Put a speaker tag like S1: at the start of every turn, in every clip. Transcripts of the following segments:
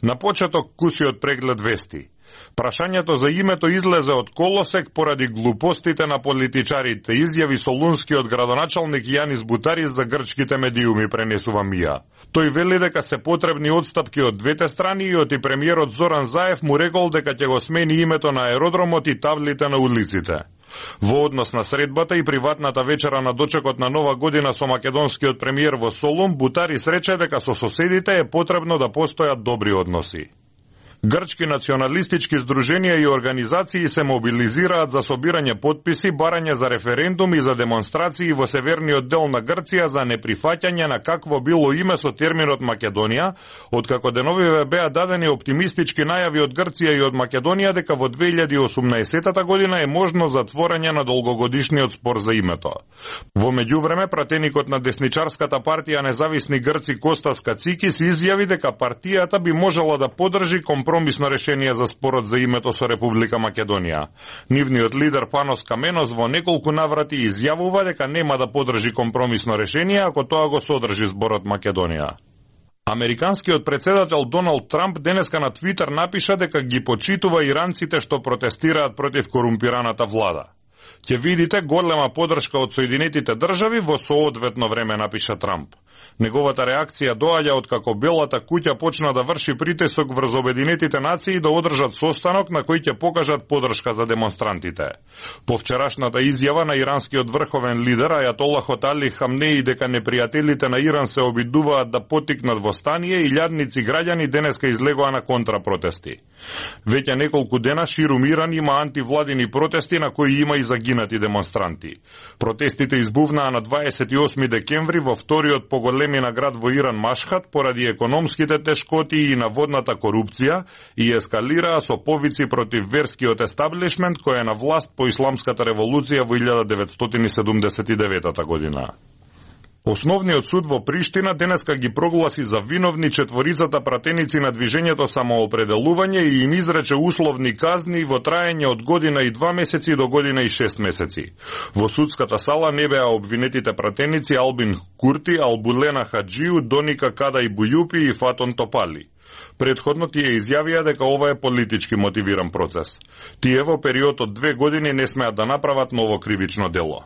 S1: На почеток кусиот преглед вести. Прашањето за името излезе од колосек поради глупостите на политичарите, изјави солунскиот градоначалник Јанис Бутарис за грчките медиуми, пренесува МИА. Тој вели дека се потребни отстапки од двете страни и и премиерот Зоран Заев му рекол дека ќе го смени името на аеродромот и таблите на улиците. Во однос на средбата и приватната вечера на дочекот на Нова година со македонскиот премиер во Солун, Бутарис рече дека со соседите е потребно да постојат добри односи. Грчки националистички здруженија и организации се мобилизираат за собирање потписи, барање за референдум и за демонстрации во северниот дел на Грција за неприфаќање на какво било име со терминот Македонија, откако деновиве беа дадени оптимистички најави од Грција и од Македонија дека во 2018 година е можно затворање на долгогодишниот спор за името. Во меѓувреме, пратеникот на десничарската партија Независни грци Костас Кацикис изјави дека партијата би можела да поддржи компромисно решение за спорот за името со Република Македонија. Нивниот лидер Панос Каменос во неколку наврати изјавува дека нема да поддржи компромисно решение ако тоа го содржи зборот Македонија. Американскиот председател Доналд Трамп денеска на Твитер напиша дека ги почитува иранците што протестираат против корумпираната влада. Ќе видите голема поддршка од Соединетите држави во соодветно време, напиша Трамп. Неговата реакција доаѓа откако Белата куќа почна да врши притисок врз Обединетите нации да одржат состанок на кој ќе покажат поддршка за демонстрантите. По вчерашната изјава на иранскиот врховен лидер Ајатолахот Али Хамнеи дека непријателите на Иран се обидуваат да поттикнат востание и илјадници граѓани денеска излегоа на контрапротести. Веќе неколку дена ширум Иран има антивладини протести на кои има и загинати демонстранти. Протестите избувнаа на 28 декември во вториот поголемина град во Иран Машхад поради економските тешкоти и наводната корупција и ескалираа со повици против верскиот естаблишмент кој е на власт по исламската револуција во 1979 година. Основниот суд во Приштина денеска ги прогласи за виновни четворицата пратеници на движењето Самоопределување и им изрече условни казни во траење од година и 2 месеци до година и 6 месеци. Во судската сала не беа обвинетите пратеници Албин Курти, Албулена Хаджиу, Доника Кадај Бујупи и Фатон Топали. Предходно тие изјавија дека ова е политички мотивиран процес. Тие во период од 2 години не смеат да направат ново кривично дело.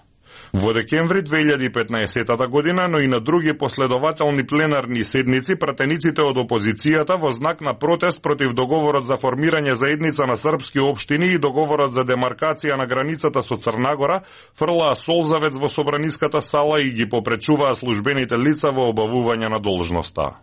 S1: Во декември 2015 година, но и на други последователни пленарни седници, пратениците од опозицијата во знак на протест против договорот за формирање заедница на српски општини и договорот за демаркација на границата со Црнагора, фрлаа солзавец во собраниската сала и ги попречуваа службените лица во обавување на должноста.